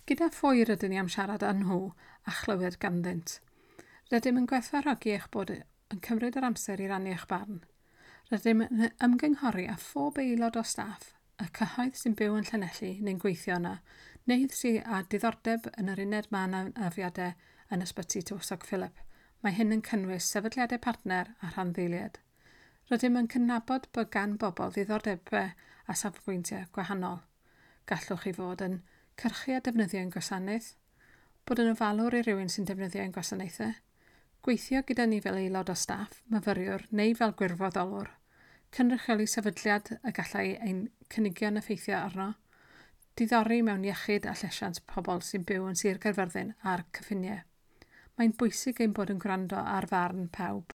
Gyda phwy rydyn ni am siarad â nhw a chlywed ganddynt? Rydym yn gwerthfawrogi eich bod yn cymryd yr amser i rannu eich barn. Rydym yn ymgynghori â phob aelod o staff, y cyhoedd sy'n byw yn Llanelli neu'n gweithio yna, neu sydd â diddordeb yn yr uned mân anafiadau yn Ysbyty Tywysog Philip. Mae hyn yn cynnwys sefydliadau partner a rhanddeiliaid. Rydym yn cydnabod bod gan bobl ddiddordebau a safbwyntiau gwahanol. Gallwch chi fod yn cyrchu a defnyddio ein gwasanaeth, bod yn ofalwr i rywun sy'n defnyddio ein gwasanaethau, gweithio gyda ni fel aelod o staff, myfyriwr neu fel gwirfoddolwr, cynrychioli sefydliad y gallai ein cynigion effeithio arno, diddori mewn iechyd a llesiant pobl sy'n byw yn Sir Gaerfyrddin a'r cyffiniau. Mae'n bwysig ein bod yn gwrando ar farn pawb.